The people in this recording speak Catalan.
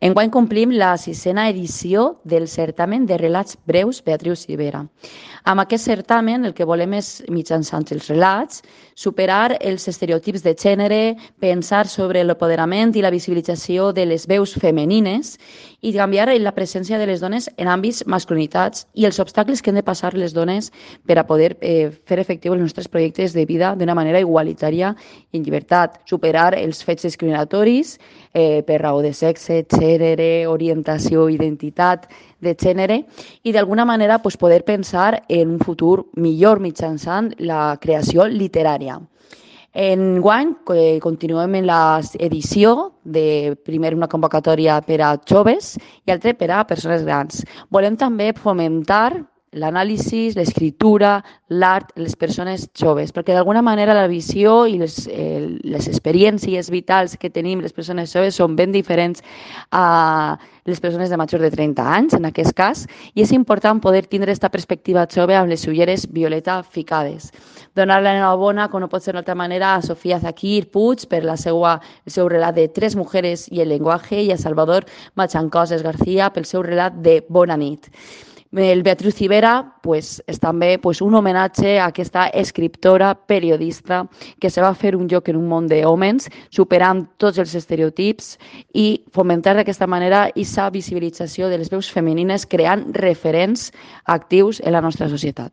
Enguany complim la 6a edició del certamen de relats breus Beatriu Civera. Amb aquest certamen el que volem és, mitjançant els relats, superar els estereotips de gènere, pensar sobre l'empoderament i la visibilització de les veus femenines i canviar la presència de les dones en àmbits masculinitats i els obstacles que han de passar les dones per a poder fer efectius els nostres projectes de vida d'una manera igualitària i en llibertat, superar els fets discriminatoris per raó de sexe, gènere, orientació, identitat de gènere i d'alguna manera poder pensar en un futur millor mitjançant la creació literària. Enguany continuem en l'edició de primer una convocatòria per a joves i altra per a persones grans. Volem també fomentar l'anàlisi, l'escriptura, l'art, les persones joves, perquè d'alguna manera la visió i les experiències vitals que tenim les persones joves són ben diferents a les persones de majors de 30 anys, en aquest cas, i és important poder tindre aquesta perspectiva jove amb les ulleres violeta ficades. Donar l'enhorabona, com no pot ser d'altra manera, a Sofia Zakir Puig per el seu relat de Tres mujeres i el llenguaje i a Salvador Machancoses García pel seu relat de Bona nit. El Beatriu Civera és també un homenatge a aquesta escriptora, periodista, que se va fer un lloc en un món d'hòmens, superant tots els estereotips i fomentar d'aquesta manera aquesta visibilització de les veus femenines, creant referents actius en la nostra societat.